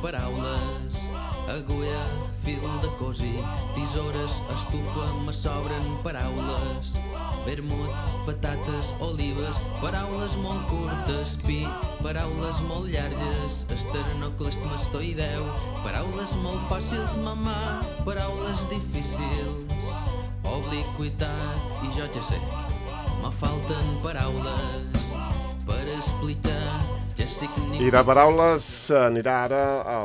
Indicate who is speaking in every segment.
Speaker 1: paraules, agulla, fil de cosir, tisores, estufa, me sobren paraules, vermut, patates, olives, paraules molt curtes, pi, paraules molt llargues, esternocleistomastoideu, paraules molt fàcils, mamà, paraules difícils, obliquitat i jo ja sé, me falten paraules per explicar què significa.
Speaker 2: I de paraules anirà ara a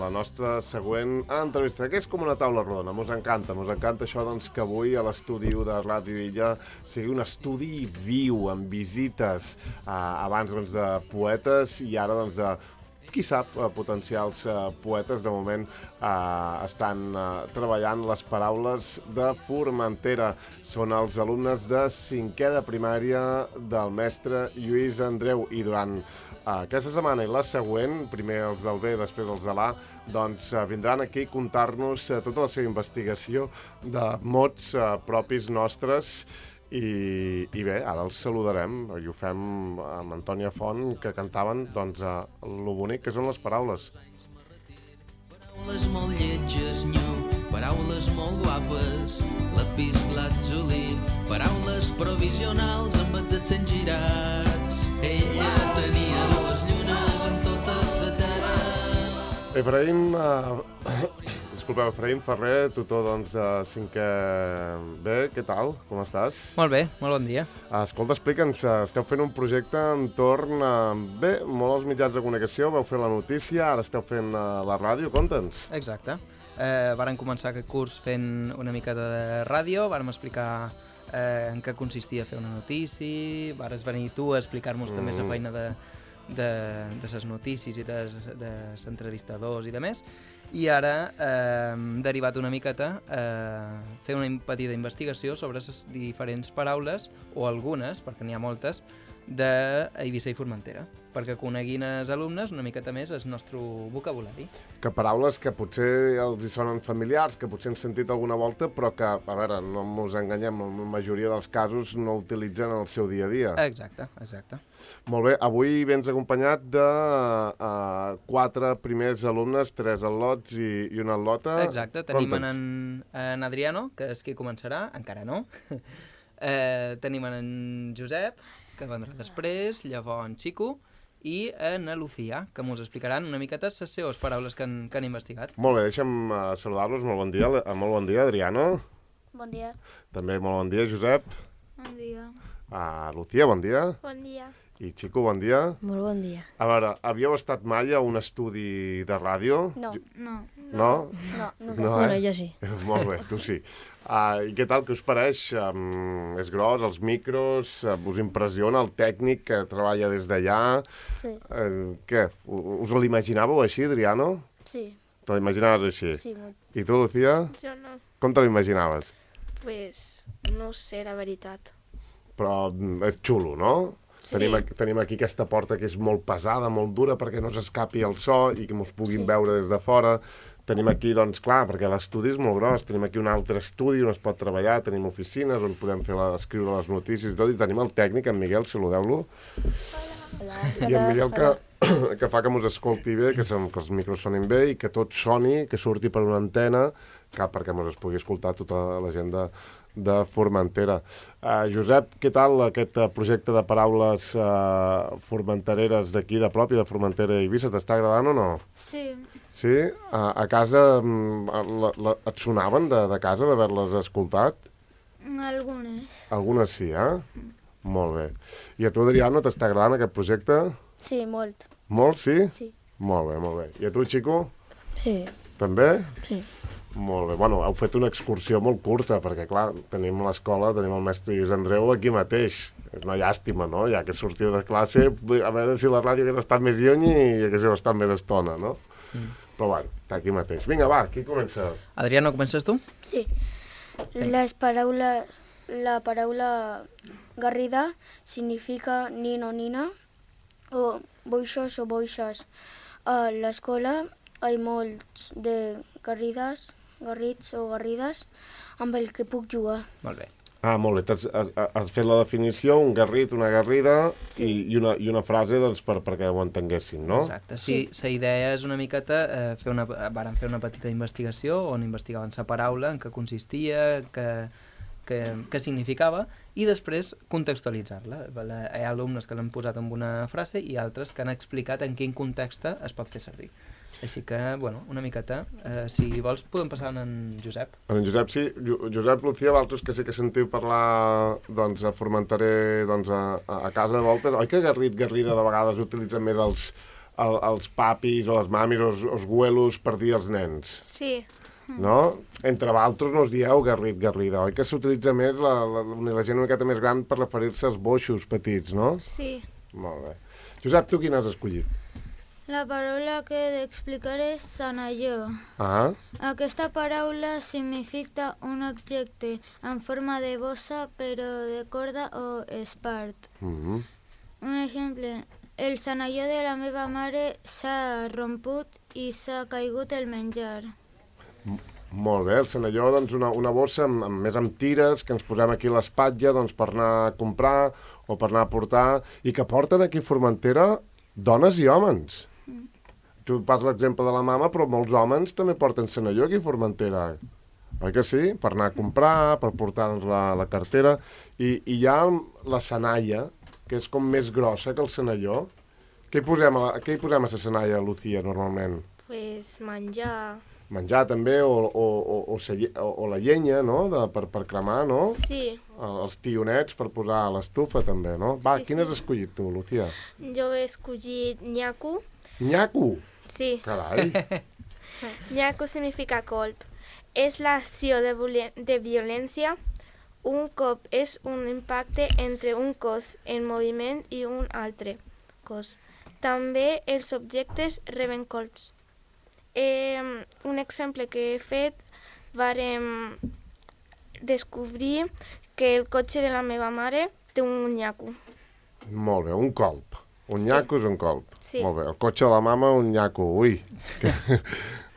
Speaker 2: la nostra següent entrevista, que és com una taula rodona. Mos encanta això doncs, que avui a l'estudi de Ràdio Illa sigui un estudi viu, amb visites abans doncs, de poetes i ara doncs, de qui sap, potencials poetes. De moment estan treballant les paraules de Formentera. Són els alumnes de 5è de primària del mestre Lluís Andreu. I durant aquesta setmana i la següent, primer els del B, després els de l'A, doncs vindran aquí a contar-nos tota la seva investigació de mots propis nostres. I bé, ara els saludarem i ho fem amb Antònia Font, que cantaven doncs, lo bonic que són les paraules.
Speaker 1: Paraules molt lletges, nyo, paraules molt guapes, lapislatzuli, paraules provisionals amb els accents girats. Ella tenia 2 llunes en tota la terra.
Speaker 2: Efraïm Ferrer, tutor doncs, de 5è B, què tal? Com estàs?
Speaker 3: Molt bé, molt bon dia.
Speaker 2: Escolta, explica'ns, esteu fent un projecte entorn bé, molt als mitjans de comunicació, vau fer la notícia, ara esteu fent la ràdio, conta'ns.
Speaker 3: Exacte. Vàrem començar aquest curs fent una miqueta de ràdio, vàrem explicar en què consistia fer una notícia, vares venir tu a explicar-nos també la feina de les notícies i dels entrevistadors i de més. I ara hem derivat una miqueta a fer una petita investigació sobre les diferents paraules, o algunes, perquè n'hi ha moltes, d'Eivissa i Formentera, perquè coneguin els alumnes una miqueta més el nostre vocabulari.
Speaker 2: Que paraules que potser els hi sonen familiars, que potser han sentit alguna volta, però que, a veure, no ens enganyem, en la majoria dels casos no utilitzen en el seu dia a dia.
Speaker 3: Exacte.
Speaker 2: Molt bé, avui vens acompanyat de 4 primers alumnes, 3 al·lots i una al·lota.
Speaker 3: Exacte, tenim en Adriano, que és qui començarà, encara no. Tenim en Josep, que vendrà després, llavors en Xico, i en Lucía, que ens explicaran una miqueta les seves paraules que han investigat.
Speaker 2: Molt bé, deixa'm saludar-los. Molt bon dia, Adriano.
Speaker 4: Bon dia.
Speaker 2: També molt bon dia, Josep.
Speaker 4: Bon dia.
Speaker 2: Lucía, bon dia.
Speaker 4: Bon dia.
Speaker 2: I Xico, bon dia.
Speaker 5: Molt bon dia.
Speaker 2: A veure, havíeu estat mai a un estudi de ràdio?
Speaker 4: No.
Speaker 2: No?
Speaker 4: No.
Speaker 5: Bueno, jo sí.
Speaker 2: Molt bé, tu sí. I què tal, què us pareix? És gros, els micros, us impressiona el tècnic que treballa des d'allà?
Speaker 4: Sí.
Speaker 2: Què, us l'imaginàveu així, Adriano?
Speaker 4: Sí.
Speaker 2: Te l'imaginaves així?
Speaker 4: Sí, molt.
Speaker 2: I tu, Lucía?
Speaker 6: Jo no.
Speaker 2: Com te l'imaginaves?
Speaker 6: Pues no ho sé, la veritat.
Speaker 2: Però és xulo, no?
Speaker 4: Sí.
Speaker 2: Tenim aquí aquesta porta que és molt pesada, molt dura, perquè no s'escapi el so i que mos puguin veure des de fora. Tenim aquí, doncs, clar, perquè l'estudi és molt gros, tenim aquí un altre estudi on es pot treballar, tenim oficines on podem escriure les notícies i tot, i tenim el tècnic, en Miguel, saludeu-lo.
Speaker 4: Hola.
Speaker 2: I en Miguel que fa que mos escolti bé, que els micros sonin bé i que tot soni, que surti per una antena, perquè mos es pugui escoltar tota la gent de Formentera. Josep, què tal aquest projecte de paraules formentereres d'aquí, de prop, de Formentera i Eivissa? T'està agradant o no?
Speaker 4: Sí.
Speaker 2: Sí? A casa et sonaven de casa d'haver-les escoltat?
Speaker 4: Algunes.
Speaker 2: Algunes sí, Molt bé. I a tu, Adriano, t'està agradant aquest projecte?
Speaker 4: Sí, molt.
Speaker 2: Molt, sí?
Speaker 4: Sí.
Speaker 2: Molt bé. I a tu, Xico?
Speaker 5: Sí.
Speaker 2: També?
Speaker 5: Sí.
Speaker 2: Molt bé. Bueno, heu fet una excursió molt curta, perquè, clar, tenim l'escola, tenim el mestre Lluís Andreu aquí mateix. És una llàstima, no? Ja que sortiu de classe, a veure si la ràdio hagués estat més lluny i haguéssiu estat més estona, no? Però, bueno, està aquí mateix. Vinga, va, qui comença?
Speaker 3: Adriano, comences tu?
Speaker 4: Sí. La paraula garrida significa nino o nina, o boixos o boixes. A l'escola hi ha molts de garrits o garrides amb el que puc jugar.
Speaker 3: Molt bé.
Speaker 2: Ah, molt bé. Has fet la definició, un garrit, una garrida i una frase doncs, perquè ho entenguessin, no?
Speaker 3: Exacte. Sí, la idea és una miqueta... Varen fer una petita investigació on investigaven la paraula, en què consistia, què significava, i després contextualitzar-la. Hi ha alumnes que l'han posat en una frase i altres que han explicat en quin context es pot fer servir. Així que, bueno, una miqueta, si vols podem passar en Josep.
Speaker 2: En Josep, sí. Josep, Lucía, vosaltres que sí que sentiu parlar doncs, a Formenteré doncs, a casa de voltes, oi que garrida de vegades utilitzen més els papis o les mamis o els güelos per dir als nens?
Speaker 6: Sí.
Speaker 2: No? Entre vosaltres no us dieu garrida, oi que s'utilitza més la gent una miqueta més gran per referir-se als boixos petits, no?
Speaker 6: Sí.
Speaker 2: Molt bé. Josep, tu quin has escollit?
Speaker 5: La paraula que he d'explicar és sanalló.
Speaker 2: Ah,
Speaker 5: Aquesta paraula significa un objecte en forma de bossa però de corda o espart.
Speaker 2: mm.
Speaker 5: Un exemple, el sanalló de la meva mare s'ha romput i s'ha caigut el menjar.
Speaker 2: Molt bé, el senalló, doncs una bossa més amb tires que ens posem aquí a l'espatlla doncs, per anar a comprar o per anar a portar i que porten aquí a Formentera dones i homes. Tu pas l'exemple de la mama, però molts homes també porten senalló aquí a Formentera. Oi que sí? Per anar a comprar, per portar doncs, la cartera. I hi ha la senalla, que és com més grossa que el senalló. Què hi posem a la senalla, Lucía, normalment?
Speaker 6: Pues menjar.
Speaker 2: Menjar també, o la llenya, no?, per cremar, no?
Speaker 6: Sí.
Speaker 2: Els tionets per posar a l'estufa, també, no? Va,
Speaker 6: Sí,
Speaker 2: quin
Speaker 6: sí.
Speaker 2: has escollit tu, Lucía?
Speaker 6: Jo he escollit nyaku.
Speaker 2: Nyaku!
Speaker 6: Sí.
Speaker 2: Carai!
Speaker 6: Nyaku significa colp. És l'acció de violència. Un cop és un impacte entre un cos en moviment i un altre cos. També els objectes reben colps. Un exemple que he fet, vàrem descobrir que el cotxe de la meva mare té un nyaku.
Speaker 2: Molt bé, un colp. Un
Speaker 6: Sí.
Speaker 2: nyaco és un colp.
Speaker 6: Sí.
Speaker 2: Molt bé, el cotxe de la mama, un nyaco. Ui,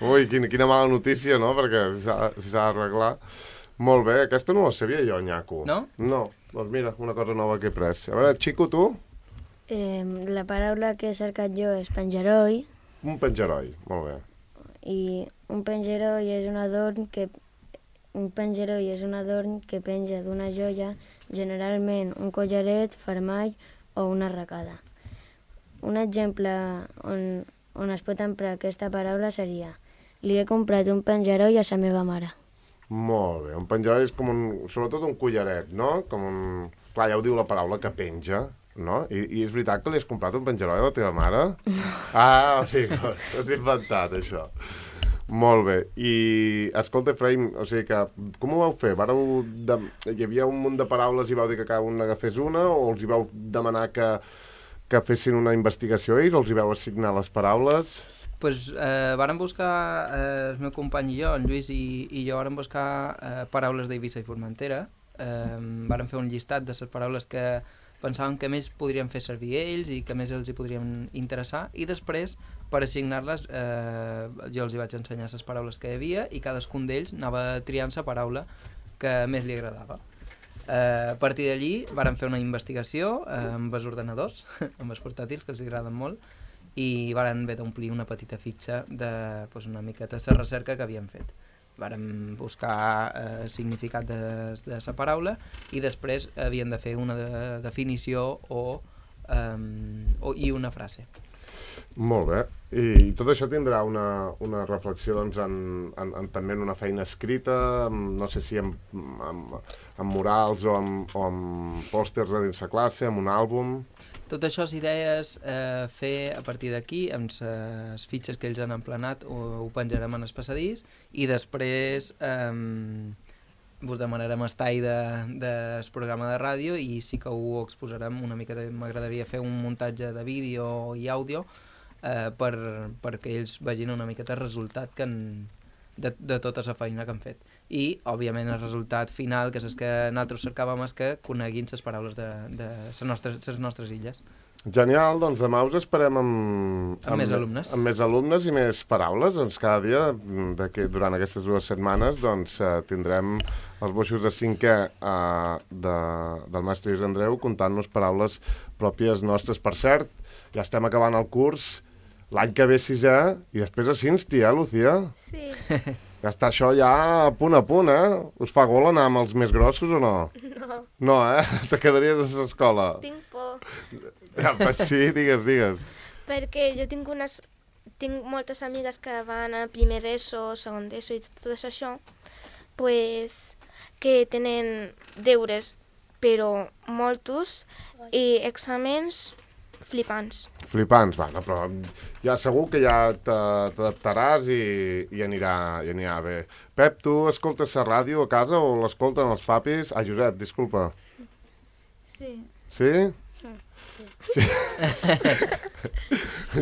Speaker 2: ui, quina mala notícia, no?, perquè si s'ha d'arreglar. Molt bé, aquesta no la sabia jo, nyaco.
Speaker 3: No?
Speaker 2: No, doncs mira, una cosa nova que he pres. A veure, Xico, tu?
Speaker 7: La paraula que he cercat jo és pengeroi,
Speaker 2: Un pengeroi, molt bé.
Speaker 7: i un pengeroi és un adorn que penja d'una joia, generalment un collaret, fermall o una arracada. Un exemple on es pot emprar aquesta paraula seria: li he comprat un pengeroi a sa meva mare.
Speaker 2: Molt bé, un pengeroi és com sobretot un collaret, no? Com un... Clar, ja ho diu la paraula, que penja, no? I és veritat que li has comprat un pengeroi a la teva mare? Ah, o sigui, t'has inventat, això. Molt bé. I, escolta, Efraïm, o sigui que, com ho vau fer? Hi havia un munt de paraules i vau dir que cada un n'agafés una, o els hi vau demanar que fessin una investigació ells, o els hi vau assignar les paraules?
Speaker 3: Pues, vàrem buscar, el meu company i jo, en Lluís i jo, vàrem buscar paraules d'Eivissa i Formentera. Vàrem fer un llistat de les paraules que pensàvem que més podrien fer servir ells i que més els hi podrien interessar, i després, per assignar-les, jo els hi vaig ensenyar les paraules que hi havia i cadascun d'ells anava triant la paraula que més li agradava. A partir d'allí vàrem fer una investigació amb els ordenadors, amb els portàtils, que els agraden molt, i varen haver d'omplir una petita fitxa de una miqueta la recerca que havíem fet. Vàrem buscar significat de la paraula i després havien de fer una definició i una frase.
Speaker 2: Molt bé. I tot això tindrà una reflexió doncs, també en una feina escrita, no sé si amb murals o amb pòsters a dins la classe, amb un àlbum...
Speaker 3: Tot això s'idees fer a partir d'aquí, amb les fitxes que ells han emplenat, ho penjarem en el passadís i després vos demanarem el tall del programa de ràdio i sí que ho exposarem una mica. M'agradaria fer un muntatge de vídeo i àudio perquè ells vegin una miqueta el resultat de tota la feina que han fet. I, òbviament, el resultat final, que és el que nosaltres cercàvem, és que coneguin les paraules de les nostres illes.
Speaker 2: Genial, doncs demà us esperem amb
Speaker 3: més alumnes.
Speaker 2: Amb més alumnes i més paraules. Doncs cada dia, durant aquestes 2 setmanes, doncs, tindrem els boixos de 5è del mestre Lluís Andreu contant-nos paraules pròpies nostres. Per cert, ja estem acabant el curs, l'any que ve 6è, i després a Cinsti, Lucía?
Speaker 6: Sí.
Speaker 2: Ja està això ja a punt, Us fa gol anar amb els més grossos o no?
Speaker 6: No.
Speaker 2: No, Te quedaries a l'escola?
Speaker 6: Tinc por.
Speaker 2: Ja, sí, digues.
Speaker 6: Perquè jo tinc moltes amigues que van a primer d'ESO, segon d'ESO i tot això, pues, que tenen deures, però molts, i exàmens flipants.
Speaker 2: Flipants, però ja segur que ja t'adaptaràs i anirà bé. Pep, tu escoltes la ràdio a casa o l'escolten els papis? Ah, Josep, disculpa.
Speaker 5: Sí.
Speaker 2: Sí? Sí.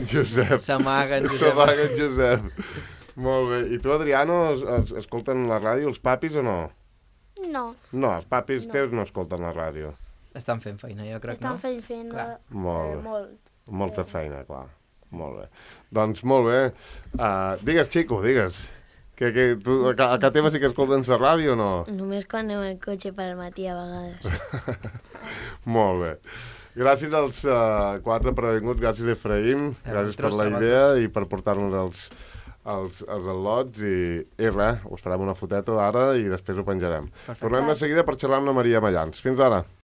Speaker 2: Josep.
Speaker 3: S'amaguen,
Speaker 2: Josep. Molt bé. I tu, Adriano, escolten la ràdio els papis o no?
Speaker 4: No.
Speaker 2: No, els papis teus no escolten la ràdio.
Speaker 3: Estan fent feina, jo crec, no?
Speaker 4: Estan fent
Speaker 2: Molta feina, clar. Molt bé. Doncs molt bé. Digues, Chico, digues. Que tu, a casa teva sí que escolten la ràdio o no?
Speaker 7: Només quan anem al cotxe per matí a vegades.
Speaker 2: Molt bé. Gràcies als 4 previnguts, gràcies Efraïm, gràcies per la idea i per portar-nos els al·lots i res, us farem una foteta ara i després ho penjarem. Perfecte. Tornem de seguida per xerrar amb la Maria Mallans. Fins ara.